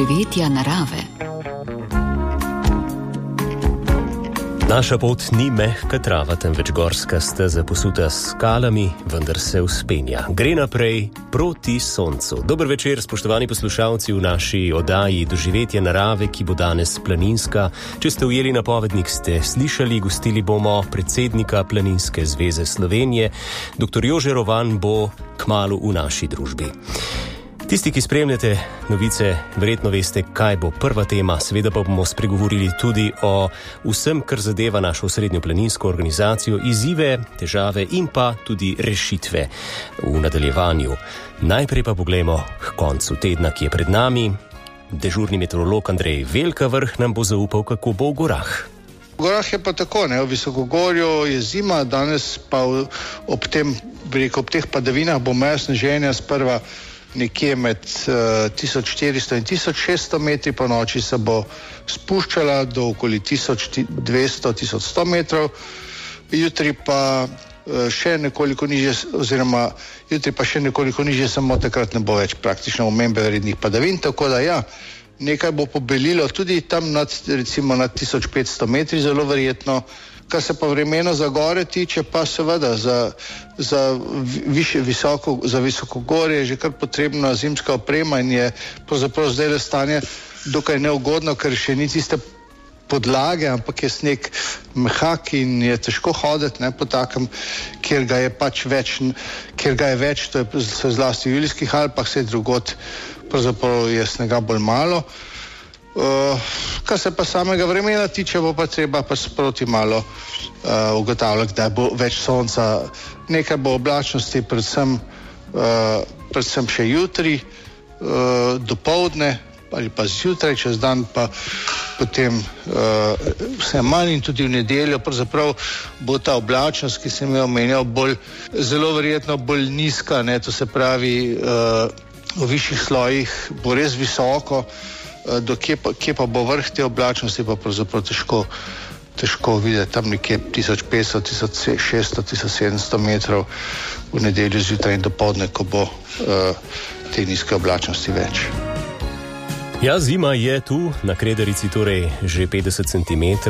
doživetja narave. Naša pot ni mehka trava, temveč gorska steza posuta s skalami, vendar se vzpenja. Gre naprej proti soncu. Dober večer, spoštovani poslušalci v naši oddaji Doživetja narave, ki bo danes planinska. Če ste ujeli napovednik, ste slišali, gostili bomo predsednika Planinske zveze Slovenije. Dr. Jože Rovan bo kmalu v naši družbi. Tisti, ki spremljate novice, verjetno veste, kaj bo prva tema. Seveda pa bomo spregovorili tudi o vsem, kar zadeva našo srednjo planinsko organizacijo, izzive, težave in pa tudi rešitve v nadaljevanju. Najprej pa poglejmo k koncu tedna, ki je pred nami. Dežurni meteorolog Andrej Velkavrh nam bo zaupal, kako bo v gorah. V gorah je pa tako, v Visokogorju je zima, danes pa ob teh padavinah bo meja sneženja sprva nekje med 1400 in 1600 metri, po noči se bo spuščala do okoli 1200-1100 metrov, jutri pa še nekoliko nižje, samo takrat ne bo več praktično omembe rednih padavin, tako da nekaj bo pobelilo tudi tam recimo nad 1500 metri, zelo verjetno. Kar se pa vremeno za gore tiče, pa seveda za visokogorje je že kar potrebna zimska oprema in je pravzaprav zdaj stanje dokaj neugodno, ker še ni tiste podlage, ampak je sneg mehak in je težko hoditi po takem, kjer ga je več, to je zlasti v Julijskih Alpah, vse drugod pravzaprav je snega bolj malo. Kar se pa samega vremena tiče, bo pa treba pa sproti malo ugotavljati, da bo več sonca, nekaj bo oblačnosti, predvsem še jutri, dopoldne ali pa zjutraj, čez dan pa potem vse manj in tudi v nedeljo. Pravzaprav bo ta oblačnost, ki sem jo omenjal, zelo verjetno bolj nizka, to se pravi v višjih slojih bo res visoko, kje pa bo vrh te oblačnosti, pa pravzaprav težko videti, tam nekje 1500, 1600, 1700 metrov v nedeljo zjutraj in dopoldne, ko bo te nizke oblačnosti več. Ja, zima je tu, na Kredarici torej že 50 cm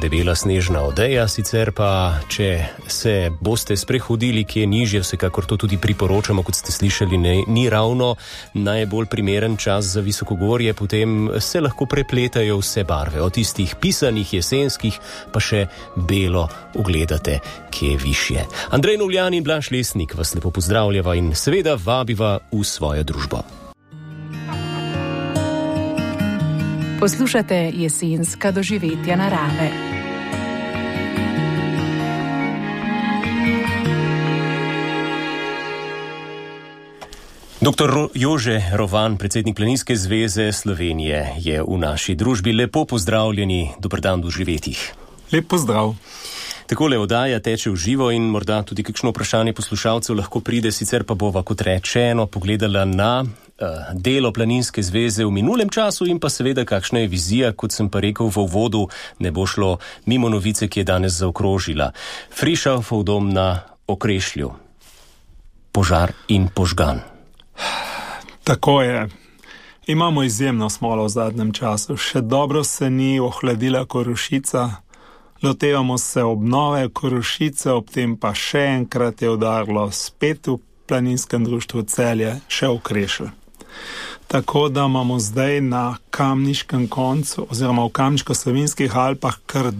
debela snežna odeja, sicer pa, če se boste sprehodili kje nižje, vsekakor to tudi priporočamo, kot ste slišali, ni ravno najbolj primeren čas za visokogorje, potem se lahko prepletajo vse barve, od tistih pisanih, jesenskih, pa še belo ugledate, kje je višje. Andrej Novljan in Blaž Lesnik vas lepo pozdravljava in seveda vabiva v svojo družbo. Poslušate jesenska doživetja narave. Dr. Jože Rovan, predsednik Planinske zveze Slovenije, je v naši družbi. Lepo pozdravljeni, dober dan v doživetjih. Lep pozdrav. Takole oddaja teče v živo in morda tudi kakšno vprašanje poslušalcev lahko pride, sicer pa bova, kot rečeno, pogledala na delo Planinske zveze v minulem času in pa seveda kakšna je vizija, kot sem pa rekel v uvodu, ne bo šlo mimo novice, ki je danes zaokrožila. Frišalfov dom na Okrešlju. Požar in požgan. Tako je. Imamo izjemno smolo v zadnjem času. Še dobro se ni ohladila Korošica. Lotevamo se obnove Korošice, ob tem pa še enkrat je udarilo spet v Planinskem društvu Celje, še Okrešelj. Tako da imamo zdaj na kamniškem koncu oziroma v Kamniško-Savinjskih Alpah kar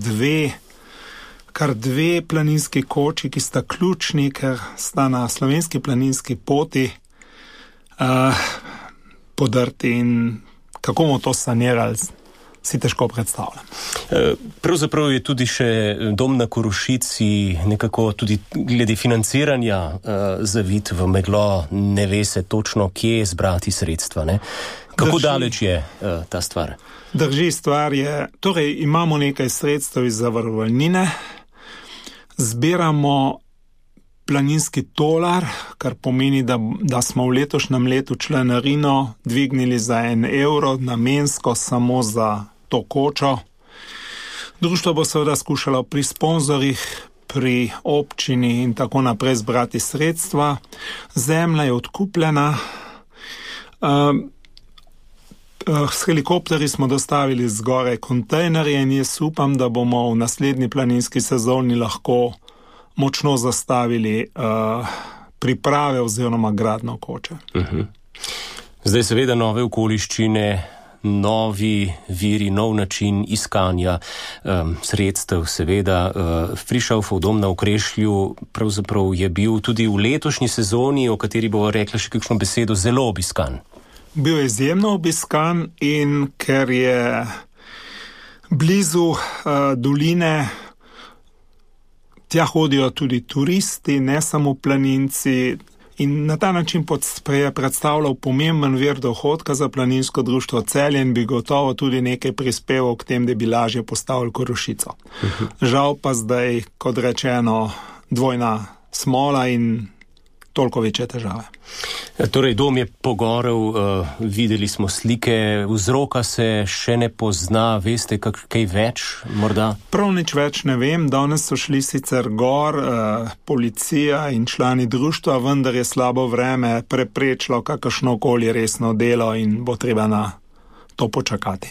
dve planinski koči, ki sta ključni, ker sta na slovenski planinski poti podrti in kako bomo to sanirali, si težko predstavljam. Pravzaprav je tudi še dom na Korošici nekako tudi glede financiranja zavit v meglo, ne ve se točno, kje zbrati sredstva, ne? Kako daleč je ta stvar? Drži, stvar je, torej imamo nekaj sredstev iz zavarovalnine, zbiramo planinski tolar, kar pomeni, da smo v letošnjem letu članarino dvignili za 1 evro namensko samo za to kočo. Društvo bo seveda skušalo pri sponzorjih, pri občini in tako naprej zbrati sredstva. Zemlja je odkupljena. S helikopterji smo dostavili zgoraj kontejnerje in jaz upam, da bomo v naslednji planinski sezoni lahko močno zastavili priprave oziroma gradno koče. Zdaj seveda nove okoliščine, novi viri, nov način iskanja sredstev, seveda. Frišovov dom na Okrešlju pravzaprav je bil tudi v letošnji sezoni, o kateri bova rekla še kakšno besedo, zelo obiskan. Bil je izjemno obiskan in ker je blizu doline, tja hodijo tudi turisti, ne samo planinci, in na ta način je predstavljal pomemben vir dohodka za planinsko društvo Celje in bi gotovo tudi nekaj prispeval k tem, da bi lažje postavili Korošico. Žal pa zdaj, kot rečeno, dvojna smola in toliko večje težave. Torej, dom je pogorel, videli smo slike, vzroka se še ne pozna, veste kaj več morda? Prav nič več ne vem, danes so šli sicer gor policija in člani društva, vendar je slabo vreme preprečilo kakršnokoli resno delo in bo treba na to počakati.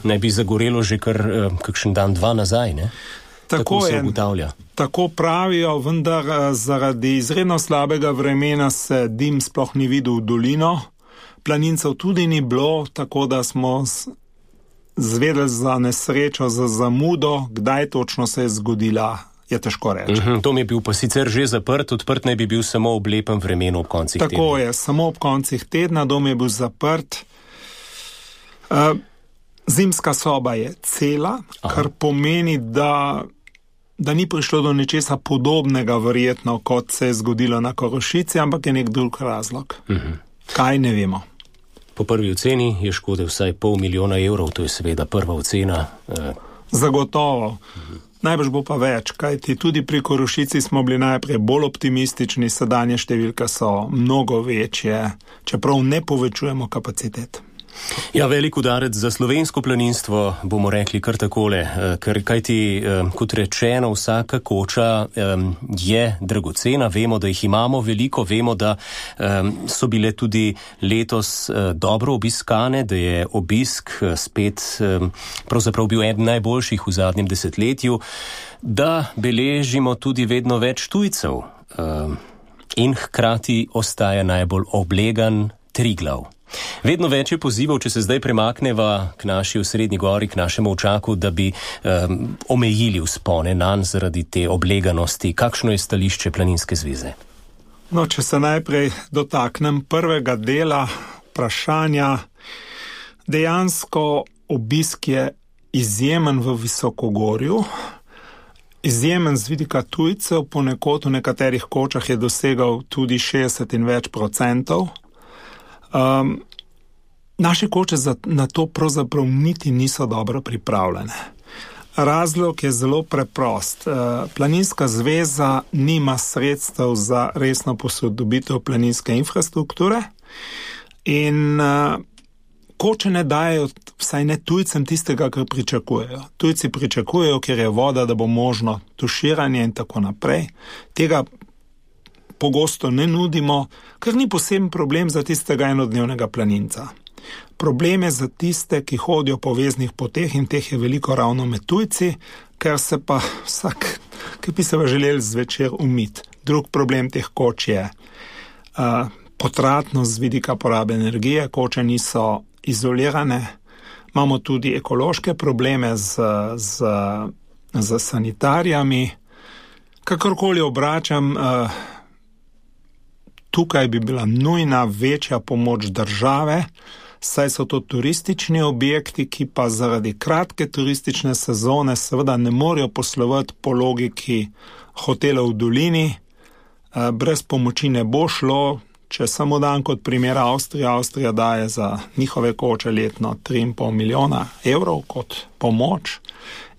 Ne bi zagorelo že kar kakšen dan, dva nazaj, ne? Tako se ugotavlja. Tako pravijo, vendar zaradi izredno slabega vremena se dim sploh ni videl v dolino. Planincev tudi ni bilo, tako da smo zvedeli za nesrečo, za zamudo, kdaj točno se je zgodila, je težko reči. Dom je bil pa sicer že zaprt, odprt naj bi bil samo ob lepem vremenu ob koncih tedna. Tako je, samo ob koncih tedna, dom je bil zaprt. Zimska soba je cela, kar pomeni, da ni prišlo do nečesa podobnega verjetno, kot se je zgodilo na Korošici, ampak je nek drug razlog. Kaj ne vemo. Po prvi oceni je škode vsaj 500 000 evrov, to je seveda prva ocena. Zagotovo. Najbrž bo pa več, kajti tudi pri Korošici smo bili najprej bolj optimistični, sedanje številke so mnogo večje, čeprav ne povečujemo kapacitet. Ja, velik udarec za slovensko planinstvo, bomo rekli kar takole, ker kajti, kot rečeno, vsaka koča je dragocena, vemo, da jih imamo veliko, vemo, da so bile tudi letos dobro obiskane, da je obisk spet pravzaprav bil eden najboljših v zadnjem desetletju, da beležimo tudi vedno več tujcev in hkrati ostaja najbolj oblegan Triglav. Vedno več je pozivov, če se zdaj premakneva k naši osrednji gori, k našemu očaku, da bi omejili vzpone nanj zaradi te obleganosti. Kakšno je stališče Planinske zveze? No, če se najprej dotaknem prvega dela vprašanja, dejansko obisk je izjemen v Visokogorju, izjemen z vidika tujcev, ponekod v nekaterih kočah je dosegal tudi 60 in več %. Naše koče na to pravzaprav niti niso dobro pripravljene. Razlog je zelo preprost. Planinska zveza nima sredstev za resno posodobitev planinske infrastrukture in koče ne dajo, vsaj ne tujcem, tistega, kar pričakujejo. Tujci pričakujejo, ker je voda, da bo možno tuširanje in tako naprej. Tega pogosto ne nudimo, ker ni poseben problem za tistega enodnevnega planinca. Problem je za tiste, ki hodijo po veznih poteh in teh je veliko ravno med tujci, ker se pa vsak, ki bi se pa želeli zvečer umiti. Drug problem teh koč je potratnost z vidika porabe energije, koče niso izolirane, imamo tudi ekološke probleme z sanitarijami. Kakorkoli obračam, tukaj bi bila nujna večja pomoč države, saj so to turistični objekti, ki pa zaradi kratke turistične sezone seveda ne morejo poslovati po logiki hotelov v dolini. Brez pomoči ne bo šlo, če samo dam kot primer Avstrija. Avstrija daje za njihove koče letno 3,5 milijona evrov kot pomoč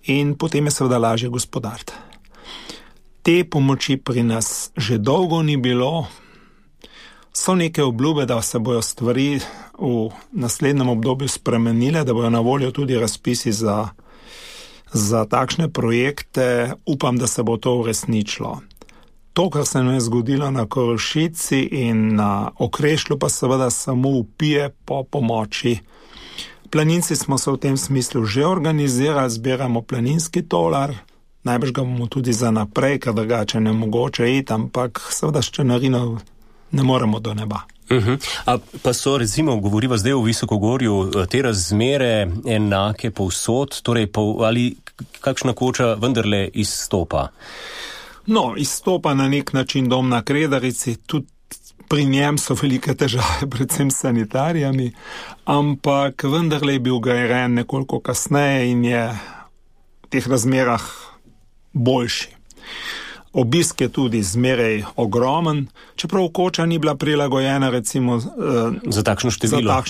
in potem je seveda lažje gospodariti. Te pomoči pri nas že dolgo ni bilo. So neke obljube, da se bojo stvari v naslednjem obdobju spremenile, da bojo na voljo tudi razpisi za takšne projekte. Upam, da se bo to uresničilo. To, kar se nam je zgodilo na Korošici in na Okrešlju, pa seveda samo vpije po pomoči Planinci smo se v tem smislu že organizirali, zbiramo planinski tolar, najbrž ga bomo tudi za naprej, ker drugače ne mogoče iti, ampak seveda s članarino ne moremo do neba. A pa so, recimo, govoriva zdaj o Visokogorju, te razmere enake povsod, torej ali kakšna koča vendarle izstopa? No, izstopa na nek način Dom na Kredarici, tudi pri njem so velike težave, predvsem s sanitarijami, ampak vendarle je bil grajen nekoliko kasneje in je v teh razmerah boljši. Obisk je tudi zmeraj ogromen, čeprav koča ni bila prilagojena recimo za takšno število.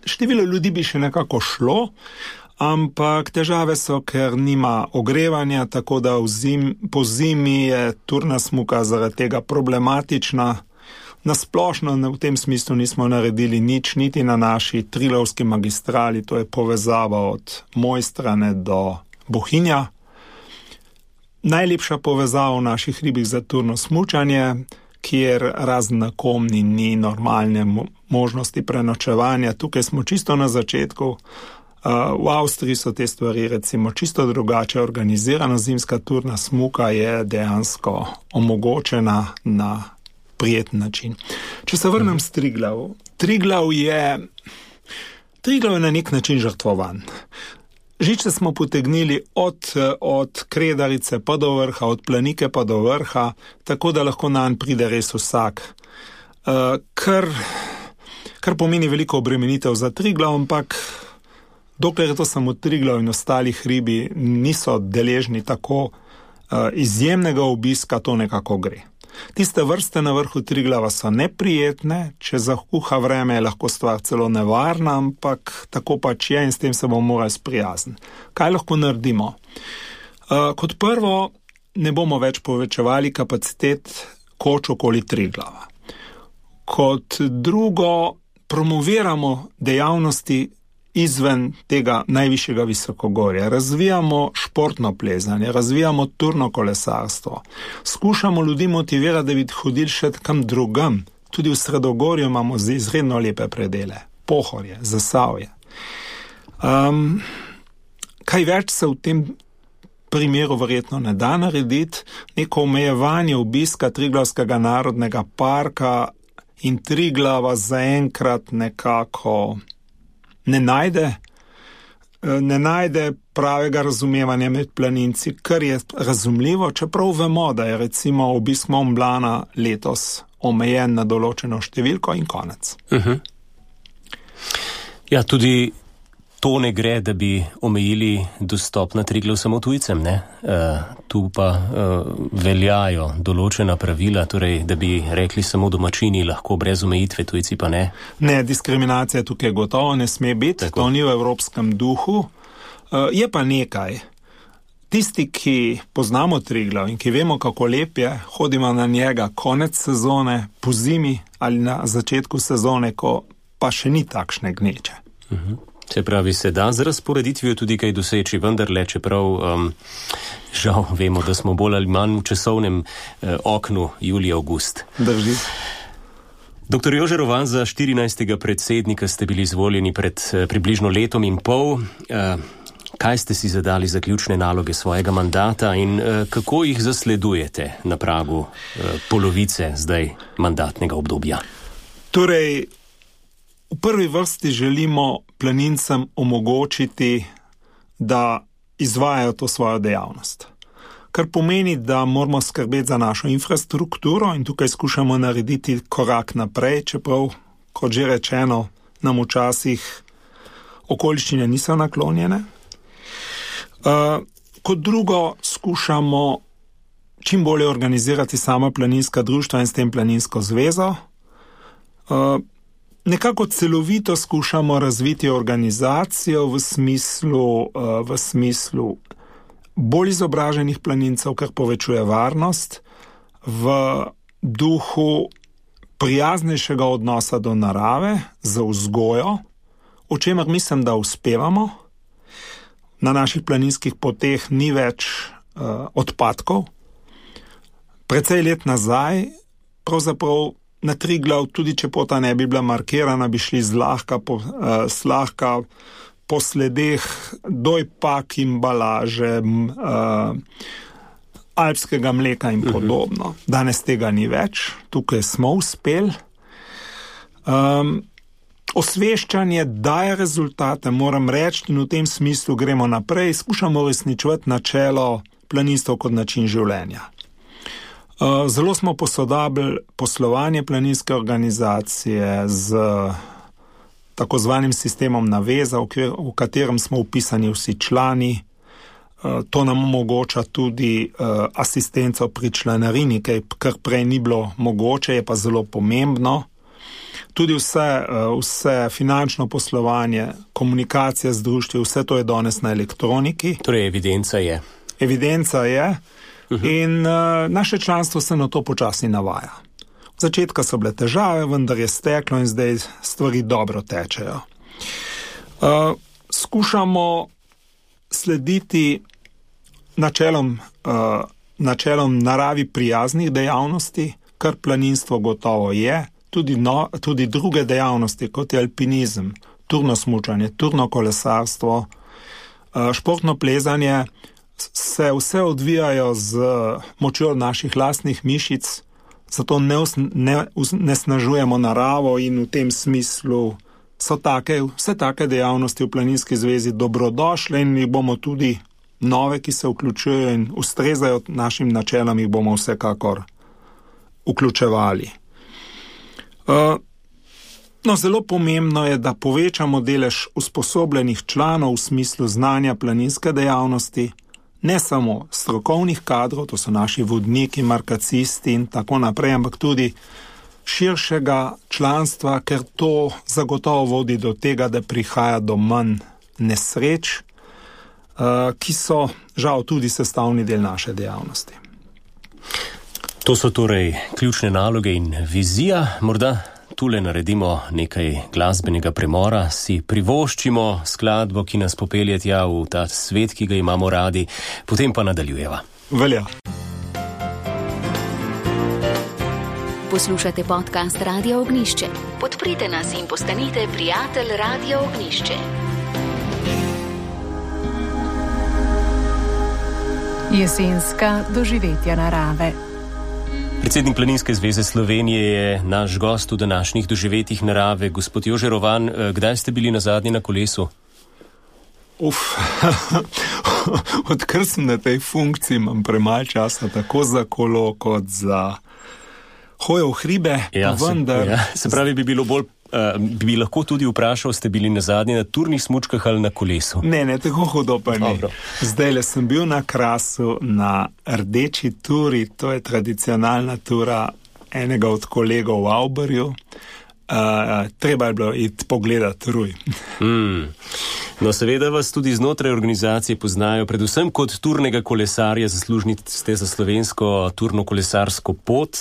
Število ljudi bi še nekako šlo, ampak težave so, ker nima ogrevanja, tako da po zimi je turna smuka zaradi tega problematična. Nasplošno v tem smislu nismo naredili nič, niti na naši Trilovski magistrali, to je povezava od Mojstrane do Bohinja. Najlepša povezava v naših hribih za turno smučanje, kjer razen na Komni ni normalne možnosti prenočevanja. Tukaj smo čisto na začetku. V Avstriji so te stvari recimo čisto drugače organizirana. Zimska turna smuka je dejansko omogočena na prijeten način. Če se vrnem s Triglav. Triglav je na nek način žrtvovan. Žičce smo potegnili od Kredarice pa do vrha, od Planike pa do vrha, tako da lahko nanj pride res vsak. Kar pomeni veliko obremenitev za Triglav, ampak dokler je to samo Triglav in ostali hribi niso deležni tako izjemnega obiska, to nekako gre. Tiste vrste na vrhu Triglava so neprijetne, če zakuha vreme je lahko stvar celo nevarna, ampak tako pač je in s tem se bomo morali sprijazniti. Kaj lahko naredimo? Kot prvo, ne bomo več povečevali kapacitet koč okoli Triglava. Kot drugo, promoviramo dejavnosti izven tega najvišjega visokogorja. Razvijamo športno plezanje, razvijamo turno kolesarstvo. Skušamo ljudi motivirati, da bi hodili še kam drugam. Tudi v Sredogorju imamo izredno lepe predele. Pohorje, Zasavje. Kaj več se v tem primeru verjetno ne da narediti. Neko omejevanje obiska Triglavskega narodnega parka in Triglava zaenkrat nekako ne najde pravega razumevanja med planinci, kar je razumljivo, čeprav vemo, da je recimo obisk Mont Blana letos omejen na določeno številko in konec. Ja, tudi to ne gre, da bi omejili dostop na Triglav samo tujcem, ne? Tu pa veljajo določena pravila, torej, da bi rekli samo domačini lahko brez omejitve, tujci pa ne. Ne, diskriminacija tukaj gotovo ne sme biti, tako. To ni v evropskem duhu. Je pa nekaj. Tisti, ki poznamo Triglav in ki vemo, kako lep je, hodimo na njega konec sezone, po zimi ali na začetku sezone, ko pa še ni takšne gneče. Se pravi, se da z razporeditvijo tudi kaj doseči, vendarle, čeprav žal vemo, da smo bolj ali manj v časovnem oknu julij-august. Drži. Dr. Jože Rovan, za 14. predsednika ste bili izvoljeni pred približno letom in pol. Kaj ste si zadali za ključne naloge svojega mandata in kako jih zasledujete na pragu polovice zdaj mandatnega obdobja? Torej, v prvi vrsti želimo planincem omogočiti, da izvajajo to svojo dejavnost. Kar pomeni, da moramo skrbeti za našo infrastrukturo in tukaj skušamo narediti korak naprej, čeprav, kot že rečeno, nam včasih okoliščine niso naklonjene. Kot drugo, skušamo čim bolje organizirati sama planinska društva in s tem planinsko zvezo. Nekako celovito skušamo razviti organizacijo v smislu bolj izobraženih planincev, kar povečuje varnost, v duhu prijaznejšega odnosa do narave, za vzgojo, o čemer mislim, da uspevamo. Na naših planinskih poteh ni več odpadkov. Precej let nazaj pravzaprav na Triglav, tudi če pota ne bi bila markirana, bi šli zlahka po sledeh dojpak, embalaže, alpskega mleka in podobno. Danes tega ni več, tukaj smo uspeli. Osveščanje daje rezultate, moram reči, in v tem smislu gremo naprej, skušamo uresničevati načelo planinstva kot način življenja. Zelo smo posodabili poslovanje planinske organizacije z tako zvanim sistemom naveza, v katerem smo vpisani vsi člani. To nam omogoča tudi asistenco pri članarini, kar prej ni bilo mogoče, je pa zelo pomembno. Tudi vse finančno poslovanje, komunikacija z društvi, vse to je danes na elektroniki. Torej, evidenca je. Evidenca je in naše članstvo se na to počasi navaja. V začetka so bile težave, vendar je steklo in zdaj stvari dobro tečejo. Skušamo slediti načelom naravi prijaznih dejavnosti, kar planinstvo gotovo je, tudi druge dejavnosti, kot je alpinizem, turno smučanje, turno kolesarstvo, športno plezanje, se vse odvijajo z močjo naših lastnih mišic, zato ne snažujemo naravo in v tem smislu so vse take dejavnosti v Planinski zvezi dobrodošle in jih bomo tudi nove, ki se vključujejo in ustrezajo našim načelom, jih bomo vsekakor vključevali. Zelo pomembno je, da povečamo delež usposobljenih članov v smislu znanja planinske dejavnosti, ne samo strokovnih kadrov, to so naši vodniki, markacisti in tako naprej, ampak tudi širšega članstva, ker to zagotovo vodi do tega, da prihaja do manj nesreč, ki so žal tudi sestavni del naše dejavnosti. To so torej ključne naloge in vizija. Morda tule naredimo nekaj glasbenega premora, si privoščimo skladbo, ki nas popelje tja v ta svet, ki ga imamo radi, potem pa nadaljujeva. Velja. Poslušate podcast Radio Ognjišče. Podprite nas in postanite prijatelj Radio Ognjišče. Jesenska doživetja narave. Predsednik Planinske zveze Slovenije je naš gost v današnjih doživetjih narave. Gospod Jože Rovan, kdaj ste bili nazadnje na kolesu? Odkar sem na tej funkciji, imam premalo časa tako za kolo kot za hojo v hribe. Se pravi, bi lahko tudi vprašal, ste bili nazadnje na turnih smučkah ali na kolesu? Ne, tako hudo pa ni. Zdajle sem bil na Krasu na rdeči turi, to je tradicionalna tura enega od kolegov v Auberju. Treba je bilo iti pogledati Ruj. No, seveda vas tudi znotraj organizacije poznajo, predvsem kot turnega kolesarja, zaslužni ste za slovensko turno-kolesarsko pot.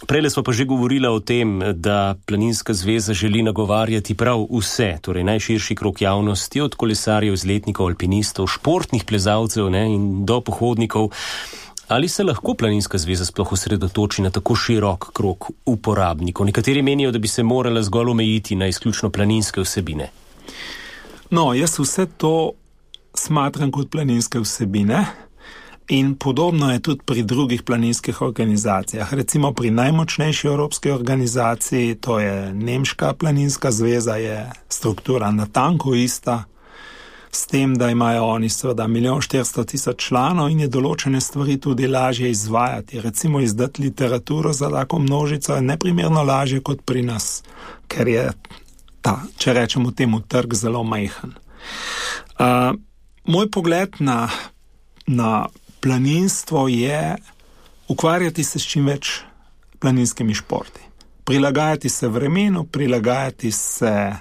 Prejle smo pa že govorila o tem, da Planinska zveza želi nagovarjati prav vse, torej najširši krog javnosti, od kolesarjev, izletnikov, alpinistov, športnih plezalcev in do pohodnikov. Ali se lahko Planinska zveza sploh osredotoči na tako širok krog uporabnikov? Nekateri menijo, da bi se morala zgolj omejiti na izključno planinske vsebine. No, jaz vse to smatram kot planinske vsebine in podobno je tudi pri drugih planinskih organizacijah. Recimo pri najmočnejši evropski organizaciji, to je Nemška planinska zveza, je struktura natanko ista, s tem, da imajo oni seveda 1.400.000 članov in je določene stvari tudi lažje izvajati. Recimo izdati literaturo za tako množico je neprimerno lažje kot pri nas, ker je če rečemo temu, trg zelo majhen. Moj pogled na planinstvo je ukvarjati se s čim več planinskimi športi. Prilagajati se vremenu, prilagajati se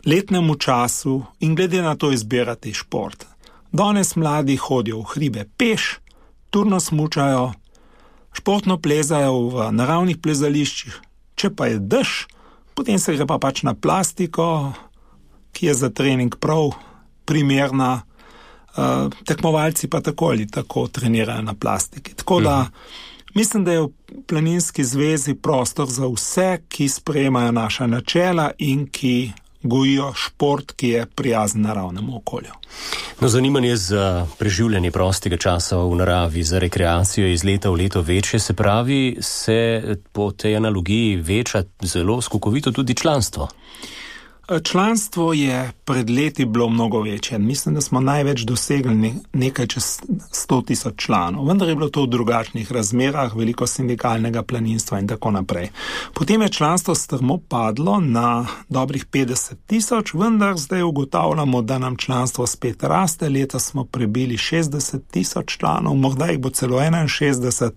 letnemu času in glede na to izbirati šport. Danes mladi hodijo v hribe peš, turno smučajo, športno plezajo v naravnih plezališčih. Če pa je dež, potem se gre pa pač na plastiko, ki je za trening prav primerna. Tekmovalci pa tako ali tako trenirajo na plastiki. Tako da Mislim, da je v Planinski zvezi prostor za vse, ki sprejemajo naša načela in ki gojijo šport, ki je prijazen naravnemu okolju. No, zanimanje za preživljanje prostega časa v naravi, za rekreacijo iz leta v leto večje, se pravi, se po tej analogiji veča zelo skokovito tudi članstvo. Članstvo je pred leti bilo mnogo večje. Mislim, da smo največ dosegli nekaj čez 100,000 članov. Vendar je bilo to v drugačnih razmerah, veliko sindikalnega planinstva in tako naprej. Potem je članstvo strmo padlo na dobrih 50,000, vendar zdaj ugotavljamo, da nam članstvo spet raste. Leta smo prebili 60,000 članov, morda jih bo celo 61,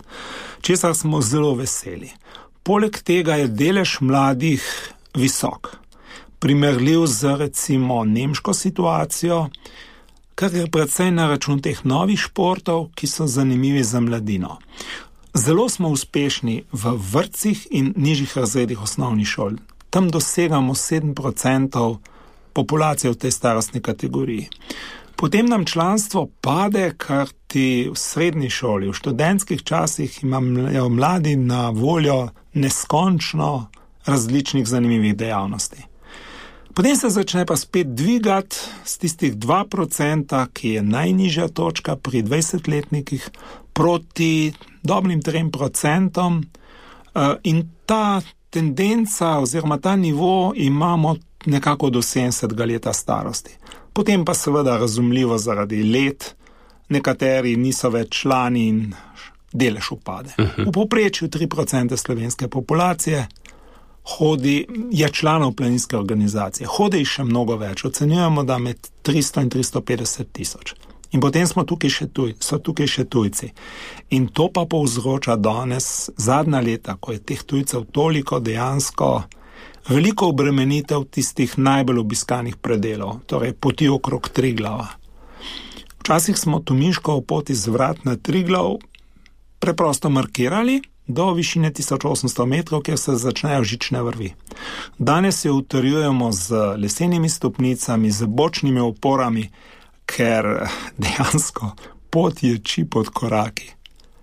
česar smo zelo veseli. Poleg tega je delež mladih visok. Primerljiv z recimo nemško situacijo, kar je predvsej na račun teh novih športov, ki so zanimivi za mladino. Zelo smo uspešni v vrtcih in nižjih razredih osnovnih šol. Tam dosegamo 7% populacije v tej starostni kategoriji. Potem nam članstvo pade, kar ti v srednji šoli, v študentskih časih imajo mladi na voljo neskončno različnih zanimivih dejavnosti. Potem se začne pa spet dvigati z tistih 2%, ki je najnižja točka pri 20-letnikih, proti dobrim 3%, in ta tendenca oziroma ta nivo imamo nekako do 70 leta starosti. Potem pa seveda razumljivo zaradi let, nekateri niso več člani in delež upade. V povprečju 3% slovenske populacije je članov planinske organizacije. Hodi jih še mnogo več. Ocenjujemo, da med 300 in 350,000. In potem so tukaj še tujci. In to pa povzroča danes zadnja leta, ko je teh tujcev toliko, dejansko veliko obremenitev tistih najbolj obiskanih predelov, torej poti okrog Triglava. Včasih smo Tominškovo pot iz Vrat na Triglav preprosto markirali do višine 1800 metrov, kjer se začnejo žične vrvi. Danes jo utrjujemo z lesenimi stopnicami, z bočnimi oporami, ker dejansko pot ječi pod koraki.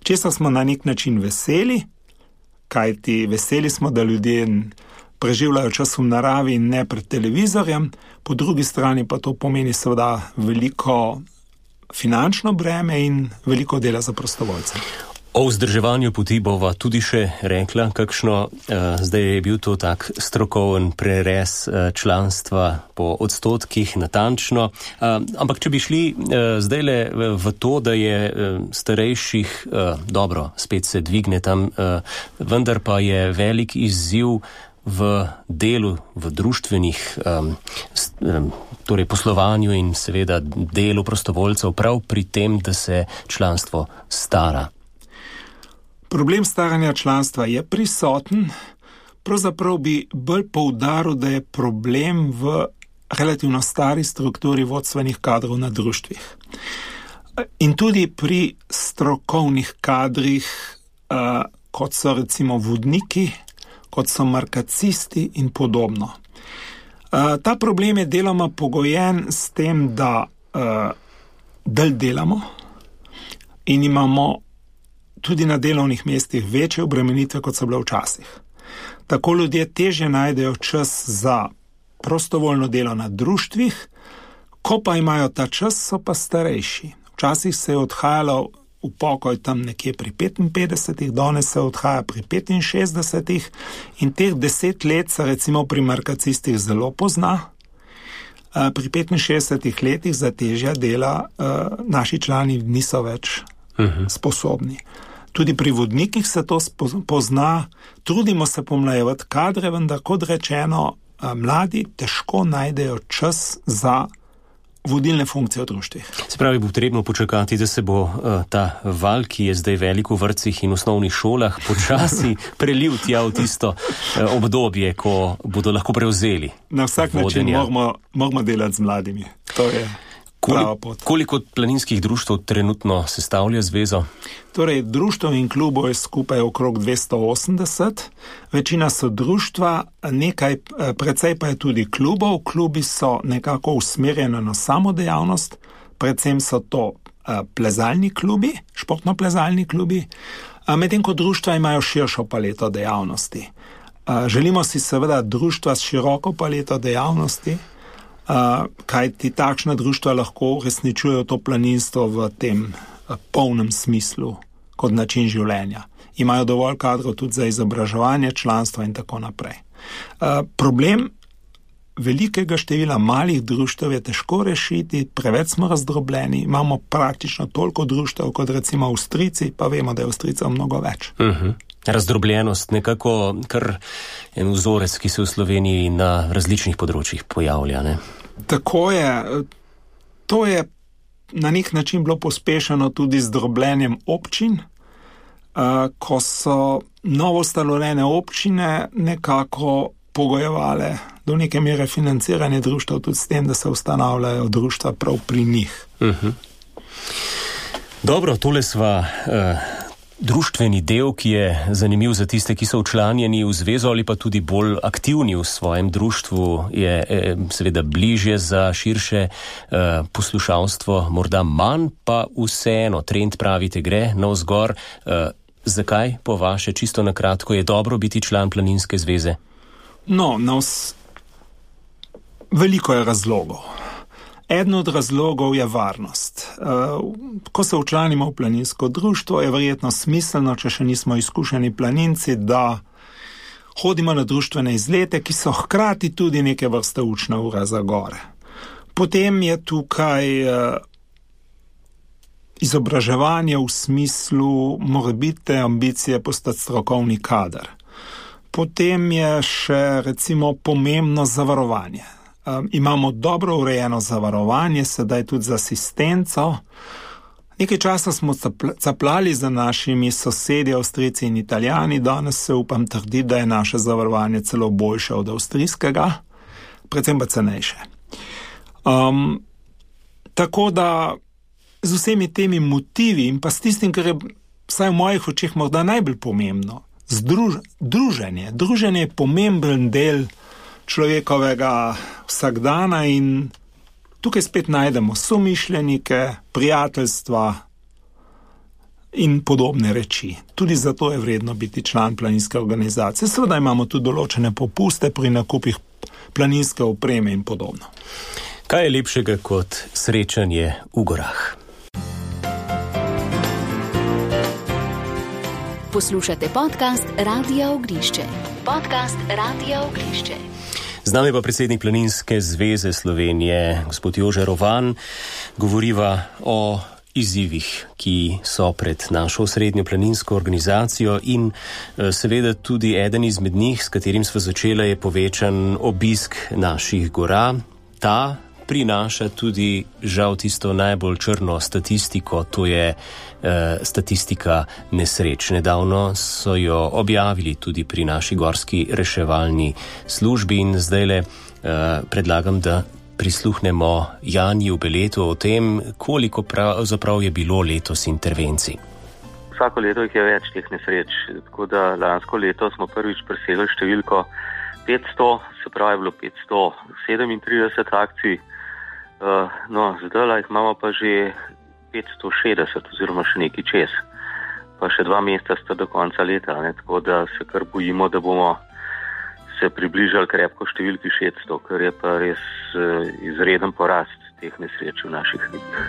Česa smo na nek način veseli, kajti veseli smo, da ljudje preživljajo čas v naravi in ne pred televizorjem, po drugi strani pa to pomeni seveda veliko finančno breme in veliko dela za prostovoljce. O vzdrževanju poti bova tudi še rekla, kakšno, zdaj je bil to tak strokoven prerez članstva po odstotkih natančno, ampak če bi šli zdajle v to, da je starejših, dobro, spet se dvigne tam, vendar pa je velik izziv v delu, v društvenih, torej poslovanju in seveda delu prostovoljcev prav pri tem, da se članstvo stara. Problem staranja članstva je prisoten, pravzaprav bi bolj poudaril, da je problem v relativno stari strukturi vodstvenih kadrov na društvih. In tudi pri strokovnih kadrih, kot so recimo vodniki, kot so markacisti in podobno. Ta problem je deloma pogojen s tem, da del delamo in imamo tudi na delovnih mestih večje obremenitve, kot so bile včasih. Tako ljudje težje najdejo čas za prostovoljno delo na društvih, ko pa imajo ta čas, so pa starejši. Včasih se je odhajalo v pokoj tam nekje pri 55, danes se odhaja pri 65 in teh 10 let se recimo pri markacistih zelo pozna. Pri 65 letih za težja dela naši člani niso več sposobni. Tudi pri vodnikih se to pozna, trudimo se pomlajevati kadre, vendar kot rečeno, mladi težko najdejo čas za vodilne funkcije v društvih. Se pravi, bo potrebno počakati, da se bo ta val, ki je zdaj velik v vrtcih in osnovnih šolah, počasi prelil tja v tisto obdobje, ko bodo lahko prevzeli. Na vsak način moramo delati z mladimi. To je prava pot. Koliko planinskih društev trenutno sestavlja zvezo? Torej, društev in klubov je skupaj okrog 280. Večina so društva, precej pa je tudi klubov. Klubi so nekako usmerjeni na samodejavnost, predvsem so to plezalni klubi, športno-plezalni klubi. Medtem ko društva imajo širšo paleto dejavnosti. Želimo si seveda društva s široko paleto dejavnosti, kajti takšna društva lahko uresničujejo to planinstvo v tem polnem smislu kot način življenja. Imajo dovolj kadrov tudi za izobraževanje, članstva in tako naprej. Problem velikega števila malih društev je težko rešiti, preveč smo razdrobljeni, imamo praktično toliko društev kot recimo Avstrijci, pa vemo, da je Avstrijcev mnogo več. Razdrobljenost, nekako kar en vzorec, ki se v Sloveniji na različnih področjih pojavlja, ne? Tako je. To je na nek način bilo pospešeno tudi z drobljenjem občin, ko so novostanovljene občine nekako pogojevale do neke mere financiranje društev tudi s tem, da se ustanavljajo društva prav pri njih. Dobro, tole sva društveni del, ki je zanimiv za tiste, ki so včlanjeni v zvezo ali pa tudi bolj aktivni v svojem društvu, je seveda bližje za širše poslušalstvo, morda manj, pa vseeno trend, pravite, gre navzgor. Zakaj po vaše, čisto na kratko, je dobro biti član Planinske zveze? No, veliko je razlogov. Eden od razlogov je varnost. Ko se včlanimo v planinsko društvo, je verjetno smiselno, če še nismo izkušeni planinci, da hodimo na društvene izlete, ki so hkrati tudi neke vrste učna ura za gore. Potem je tukaj izobraževanje v smislu morebitne ambicije postati strokovni kader. Potem je še recimo pomembno zavarovanje. Imamo dobro urejeno zavarovanje, sedaj tudi z asistenco. Nekaj časa smo caplali za našimi sosedi, Avstrijci in Italijani, danes se upam trditi, da je naše zavarovanje celo boljše od avstrijskega, predvsem pa cenejše. Tako da z vsemi temi motivi in pa s tistim, kar je vsaj v mojih očeh morda najbolj pomembno, druženje. Druženje je pomemben del človekovega vsakdana in tukaj spet najdemo somišljenike, prijateljstva in podobne reči. Tudi zato je vredno biti član planinske organizacije. Seveda imamo tudi določene popuste pri nakupih planinske opreme in podobno. Kaj je lepšega kot srečanje v gorah? Poslušate podcast Radia Ognišče. Podcast Radia Ognišče. Z nami pa predsednik Planinske zveze Slovenije, gospod Jože Rovan. Govoriva o izzivih, ki so pred našo osrednjo planinsko organizacijo in seveda tudi eden izmed njih, s katerim sva začela, je povečan obisk naših gora. Ta prinaša tudi žal tisto najbolj črno statistiko, to je statistika nesreč. Nedavno so jo objavili tudi pri naši gorski reševalni službi in zdajle predlagam, da prisluhnemo Janji v Beletu o tem, koliko pravzaprav je bilo letos intervencij. Vsako leto jih je več teh nesreč, tako da lansko leto smo prvič presegli številko 500, se pravi je bilo 537 akcij. Zdaj jih imamo pa že 560 oziroma še nekaj čez. Pa še 2 meseca sta do konca leta, tako da se kar bojimo, da bomo se približali krepko številki 600, ker je pa res izreden porast teh nesreč v naših regijah.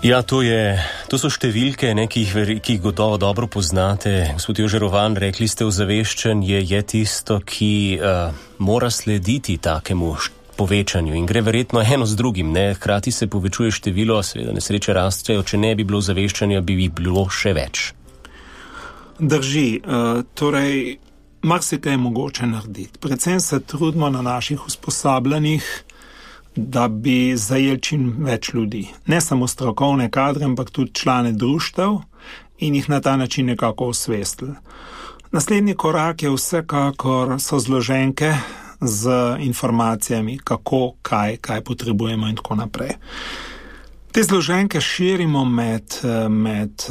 Ja, to so številke, ki jih gotovo dobro poznate. Gospod Jože Rovan, rekli ste, ozaveščanje je tisto, ki mora slediti takemu povečanju in gre verjetno eno z drugim, ne? Hkrati se povečuje število, seveda nesreče rastejo, če ne bi bilo ozaveščanja, bi jih bilo še več. Drži, torej marsikaj je mogoče narediti. Predvsem se trudimo na naših usposabljanjih, da bi zajeli čim več ljudi. Ne samo strokovne kadre, ampak tudi člane društev in jih na ta način nekako osvestili. Naslednji korak je vsekakor so zloženke z informacijami, kako, kaj potrebujemo in tako naprej. Te zloženke širimo med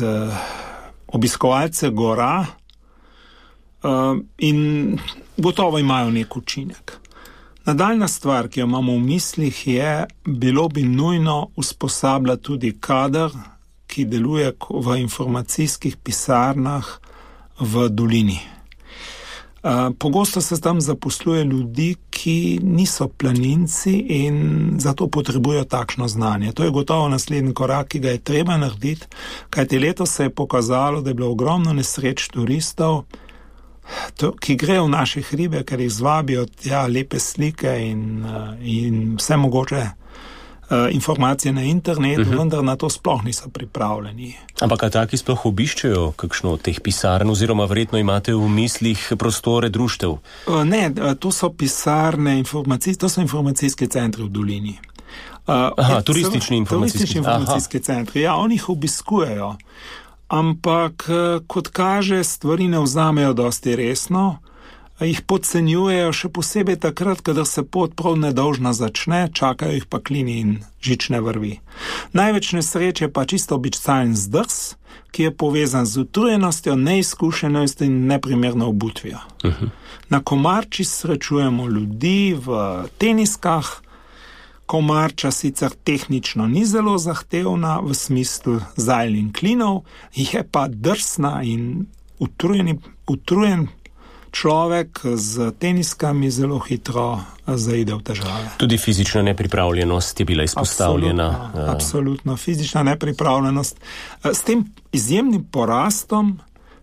obiskovalce gora in gotovo imajo nek učinek. Nadaljna stvar, ki jo imamo v mislih, je, bilo bi nujno usposabljati tudi kader, ki deluje v informacijskih pisarnah v dolini. Pogosto se tam zaposluje ljudi, ki niso planinci in zato potrebujejo takšno znanje. To je gotovo naslednji korak, ki ga je treba narediti, kajti letos se je pokazalo, da je bilo ogromno nesreč turistov, ki grejo v naše hribe, ker jih zvabijo lepe slike in vse mogoče informacije na internetu, vendar na to sploh niso pripravljeni. Ampak a taki sploh obiščejo kakšno od teh pisarn, oziroma verjetno imate v mislih prostore društev? Ne, to so pisarne, to so informacijski centri v dolini. Turistični informacijski centri. Ja, oni jih obiskujejo, ampak kot kaže, stvari ne vzamejo dosti resno, jih podcenjujejo še posebej takrat, kadar se pot prav nedolžna začne, čakajo jih pa klini in žične vrvi. Največ nesreč je pa čisto običajen zdrs, ki je povezan z utrujenostjo, neizkušenostjo in neprimerno obutvijo. Na Komarči srečujemo ljudi v teniskah. Komarča sicer tehnično ni zelo zahtevna v smislu zajl in klinov, je pa drsna in utrujen človek z teniskami zelo hitro zaide v težave. Tudi fizična nepripravljenost je bila izpostavljena. Absolutno, fizična nepripravljenost. S tem izjemnim porastom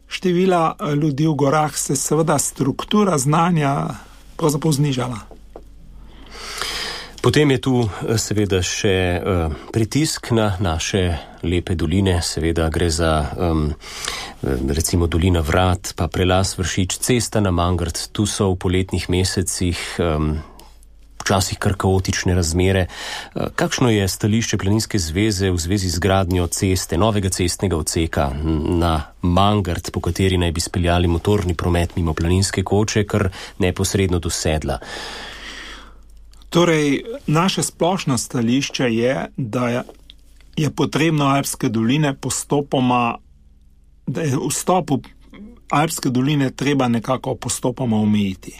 števila ljudi v gorah se seveda struktura znanja pravzaprav znižala. Potem je tu seveda še pritisk na naše lepe doline, seveda gre za recimo dolina Vrat, pa prelaz Vršič, cesta na Mangart, tu so v poletnih mesecih včasih kar kaotične razmere. Kakšno je stališče Planinske zveze v zvezi z gradnjo ceste, novega cestnega odseka na Mangart, po kateri naj bi speljali motorni promet mimo Planinske koče, kar neposredno do sedla? Torej, naše splošno stališče je, da je potrebno Alpske doline postopoma, da je vstop v Alpske doline treba nekako postopoma omejiti.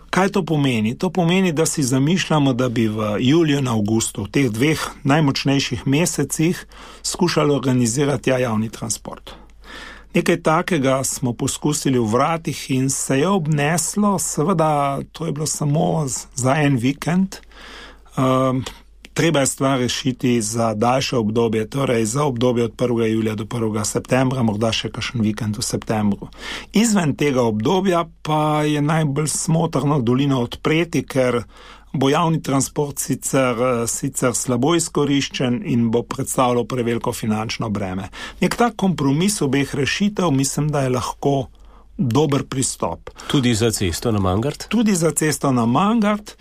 Kaj to pomeni? To pomeni, da si zamišljamo, da bi v juliju in avgustu, v teh dveh najmočnejših mesecih, skušali organizirati javni transport. Nekaj takega smo poskusili v Vratih in se je obneslo, seveda to je bilo samo za en vikend. Treba je stvar rešiti za daljše obdobje, torej za obdobje od 1. julija do 1. septembra, morda še kakšen vikend v septembru. Izven tega obdobja pa je najbolj smotrno dolino odpreti, ker bo javni transport sicer slabo izkoriščen in bo predstavljal preveliko finančno breme. Nek tak kompromis obeh rešitev mislim, da je lahko dober pristop. Tudi za cesto na Mangart? Tudi za cesto na Mangart.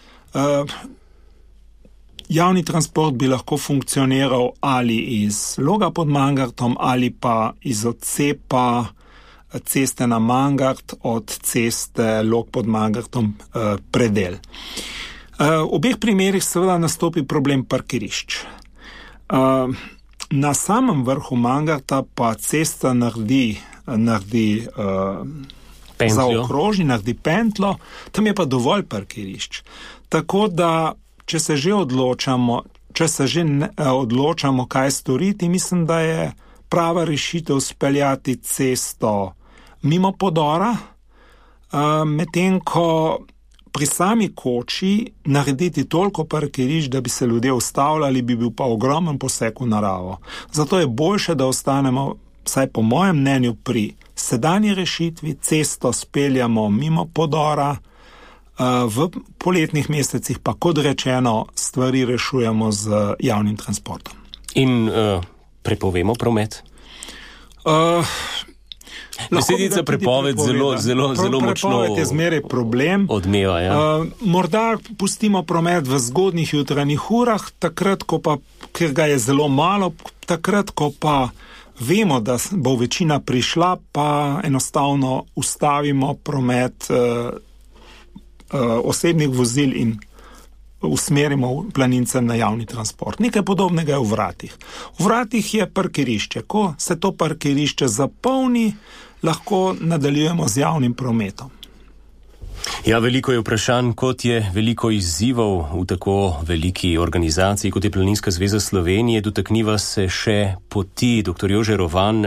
Javni transport bi lahko funkcioniral ali iz Loga pod Mangartom ali pa iz odcepa ceste na Mangart od ceste Log pod Mangartom predel. V obeh primerih seveda nastopi problem parkirišč. Na samem vrhu Mangarta pa cesta naredi zaokroži, naredi pentlo, tam je pa dovolj parkirišč. Tako da če se že odločamo, kaj storiti, mislim, da je prava rešitev speljati cesto mimo podora, medtem ko pri sami koči narediti toliko parkirišč, da bi se ljudje ustavljali, bi bil pa ogromen poseg v naravo. Zato je boljše, da ostanemo, vsaj po mojem mnenju, pri sedanji rešitvi, cesto speljamo mimo podora, v poletnih mesecih pa, kot rečeno, stvari rešujemo z javnim transportom. In prepovemo promet? Besedica prepoved zelo močno prepoved je zmeraj problem. Odmeva, ja. Morda pustimo promet v zgodnjih jutranjih urah, takrat, ker ga je zelo malo, takrat, ko pa vemo, da bo večina prišla, pa enostavno ustavimo promet osebnih vozil in usmerimo planincem na javni transport. Nekaj podobnega je v Vratih. V Vratih je parkirišče. Ko se to parkirišče zapolni, lahko nadaljujemo z javnim prometom. Ja, veliko je vprašanj, kot je veliko izzivov v tako veliki organizaciji, kot je Planinska zveza Slovenije. Dotakniva se še poti. Dr. Jože Rovan,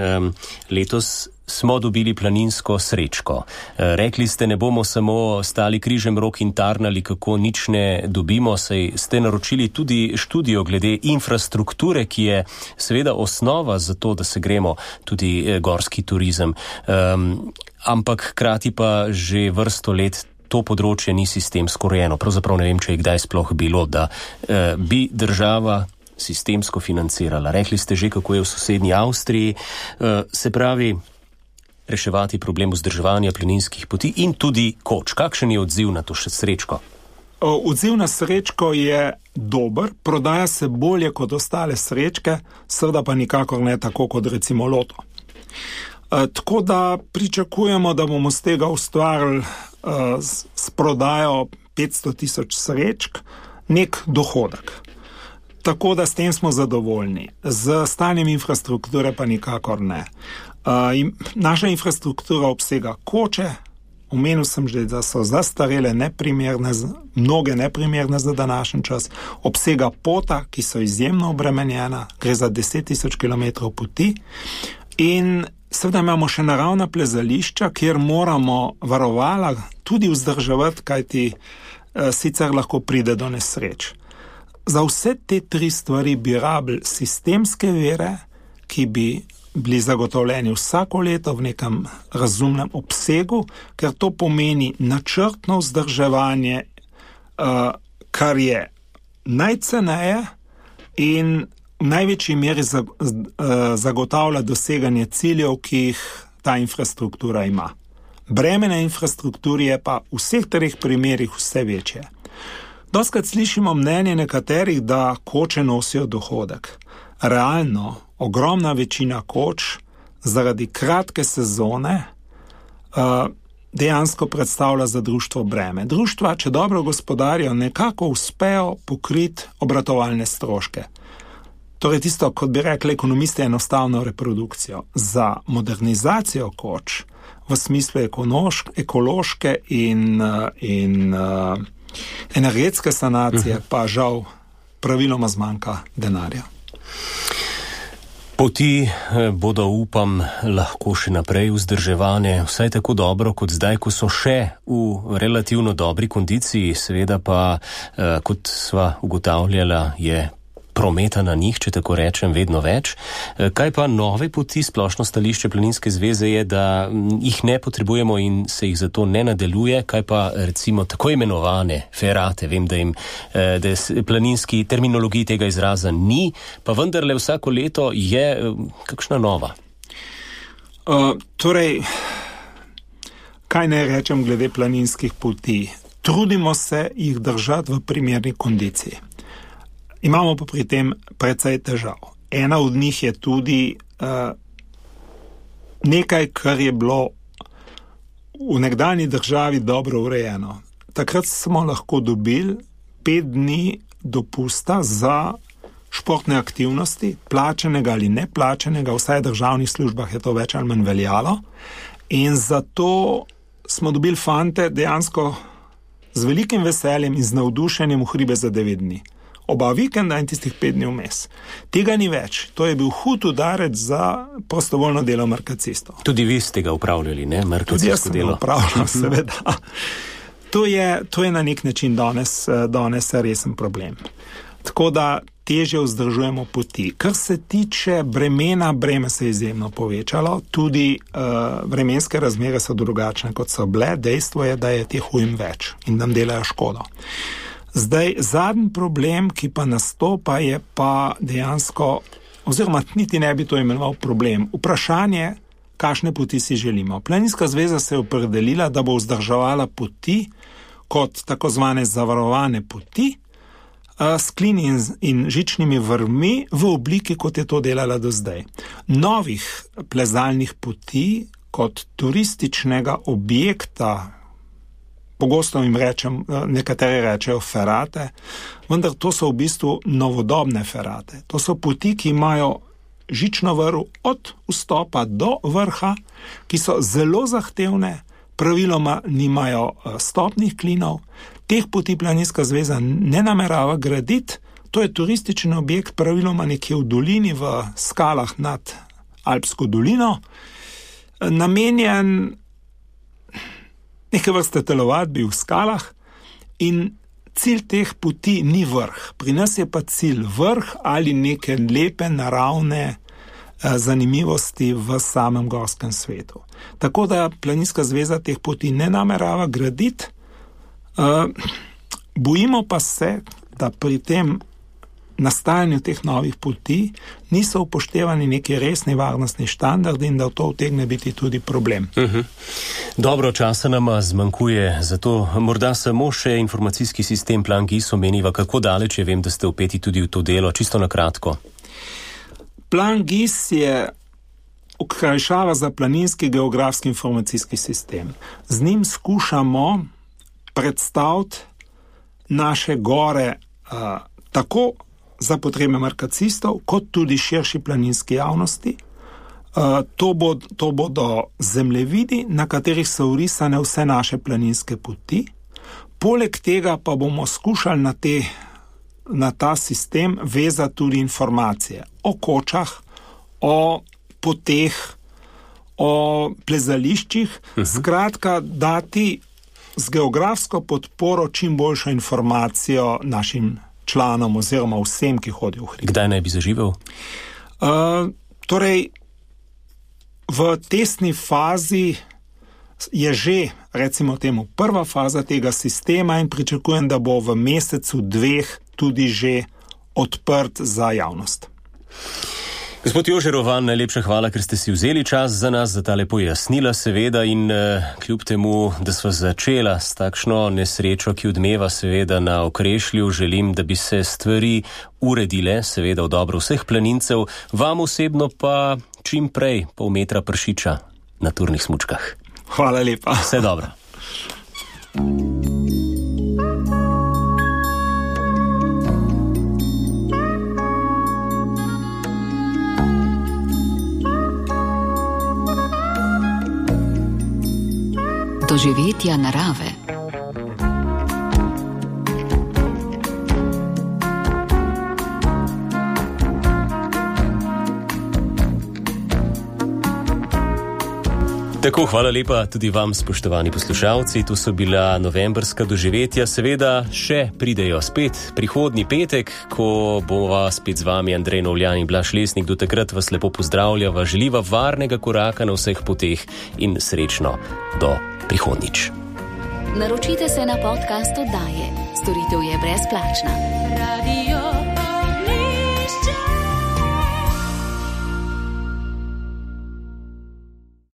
letos smo dobili planinsko srečko. Rekli ste, ne bomo samo stali križem rok in tarnali, kako nič ne dobimo, saj ste naročili tudi študijo glede infrastrukture, ki je seveda osnova za to, da se gremo tudi gorski turizem. Ampak hkrati pa že vrsto let to področje ni sistemsko urejeno. Pravzaprav ne vem, če je kdaj sploh bilo, da bi država sistemsko financirala. Rekli ste že, kako je v sosednji Avstriji. Se pravi, reševati problem vzdrževanja planinskih poti in tudi koč. Kakšen je odziv na to še srečko? Odziv na srečko je dober, prodaja se bolje kot ostale srečke, seveda pa nikakor ne tako kot recimo loto. Tako da pričakujemo, da bomo z tega ustvarili s prodajo 500,000 srečk nek dohodek. Tako da s tem smo zadovoljni. Z stanjem infrastrukture pa nikakor ne. Naša infrastruktura obsega koče, omenil sem že, da so zastarele, neprimerne, mnoge neprimerne za današnji čas, obsega pota, ki so izjemno obremenjena, gre za 10,000 km poti in seveda imamo še naravna plezališča, kjer moramo varovala tudi vzdrževati, kajti sicer lahko pride do nesreč. Za vse te tri stvari bi rabili sistemske vire, ki bi bili zagotovljeni vsako leto v nekem razumnem obsegu, ker to pomeni načrtno vzdrževanje, kar je najceneje in v največji meri zagotavlja doseganje ciljev, ki jih ta infrastruktura ima. Breme na infrastrukturi je pa v vseh treh primerih vse večje. Dostikrat slišimo mnenje nekaterih, da koče nosijo dohodek. Realno, ogromna večina koč zaradi kratke sezone dejansko predstavlja za društvo breme. Društva, če dobro gospodarijo, nekako uspejo pokriti obratovalne stroške. Torej tisto, kot bi rekli ekonomisti, enostavno reprodukcijo. Za modernizacijo koč v smislu ekološke in energetske sanacije pa žal praviloma zmanjka denarja. Poti bodo, upam, lahko še naprej vzdrževane, vsaj tako dobro kot zdaj, ko so še v relativno dobri kondiciji, seveda pa, kot sva ugotavljala, je prometa na njih, če tako rečem, vedno več. Kaj pa nove poti? Splošno stališče Planinske zveze je, da jih ne potrebujemo in se jih zato ne nadaljuje. Kaj pa recimo tako imenovane ferate? Vem, da planinski terminologiji tega izraza ni, pa vendarle vsako leto je kakšna nova. Torej, kaj naj rečem glede planinskih poti? Trudimo se jih držati v primerni kondiciji. Imamo pa pri tem precej težav. Ena od njih je tudi nekaj, kar je bilo v nekdanji državi dobro urejeno. Takrat smo lahko dobili 5 dni dopusta za športne aktivnosti, plačenega ali neplačenega, vsaj v državnih službah je to več ali manj veljalo. In zato smo dobili fante dejansko z velikim veseljem in z navdušenjem v hribe za 9 dni. Oba vikenda in tistih 5 dni vmes. Tega ni več. To je bil hud udarec za prostovoljno delo markacistov. Tudi vi ste ga upravljali, ne? Markacisto delo. Tudi jaz sem upravljal, seveda. To je na nek način danes resen problem. Tako da težje vzdržujemo poti. Kar se tiče breme se je izjemno povečalo. Tudi vremenske razmere so drugačne, kot so bile. Dejstvo je, da je teh ujm več in nam delajo škodo. Zdaj, zadnji problem, ki pa nastopa, je pa dejansko, oziroma niti ne bi to imenoval problem, vprašanje, kakšne poti si želimo. Planinska zveza se je opredelila, da bo vzdrževala poti kot tako zvane zavarovane poti s klini in žičnimi vrvmi v obliki, kot je to delala do zdaj. Novih plezalnih poti kot turističnega objekta, pogosto jim nekateri rečejo ferate, vendar to so v bistvu novodobne ferate. To so poti, ki imajo žično vrv od vstopa do vrha, ki so zelo zahtevne, praviloma nimajo stopnih klinov, teh poti Planinska zveza ne namerava graditi, to je turistični objekt praviloma nekje v dolini, v skalah nad Alpsko dolino, namenjen neke vrste telovadbi v skalah in cilj teh poti ni vrh. Pri nas je pa cilj vrh ali neke lepe naravne zanimivosti v samem gorskem svetu. Tako da Planinska zveza teh poti ne namerava graditi. Bojimo pa se, da pri tem nastajanju teh novih poti niso upoštevani neki resni varnostni standardi in da to utegne biti tudi problem. Dobro, časa nama zmanjkuje, zato morda samo še informacijski sistem Plan GIS omeniva, kako daleč je, vem, da ste vpeti tudi v to delo, čisto na kratko. Plan GIS je okrajšava za planinski geografski informacijski sistem. Z njim skušamo predstaviti naše gore tako za potrebe markacistov, kot tudi širši planinski javnosti. To bodo zemljevidi, na katerih so vrisane vse naše planinske poti. Poleg tega pa bomo skušali na ta sistem vezati tudi informacije o kočah, o poteh, o plezališčih, skratka dati z geografsko podporo čim boljšo informacijo našim članom oziroma vsem, ki hodijo v hrib. Kdaj naj bi zaživel? Torej, v testni fazi je že, recimo temu, prva faza tega sistema in pričakujem, da bo v mesecu 2 tudi že odprt za javnost. Gospod Jože Rovan, najlepša hvala, ker ste si vzeli čas za nas, za tale pojasnila seveda in kljub temu, da sva začela s takšno nesrečo, ki odmeva seveda na Okrešlju, želim, da bi se stvari uredile, seveda v dobro vseh planincev, vam osebno pa čim prej pol metra pršiča na turnih smučkah. Hvala lepa. Vse dobro. Doživetja narave. Tako, hvala lepa tudi vam, spoštovani poslušalci. To so bila novembrska doživetja. Seveda še pridejo spet prihodnji petek, ko bova spet z vami Andrej Novljan in Blaž Lesnik. Do takrat vas lepo pozdravljava, želiva varnega koraka na vseh poteh in srečno do prihodnjič. Naročite se na podcast oddaje. Storitev je brezplačna. Radio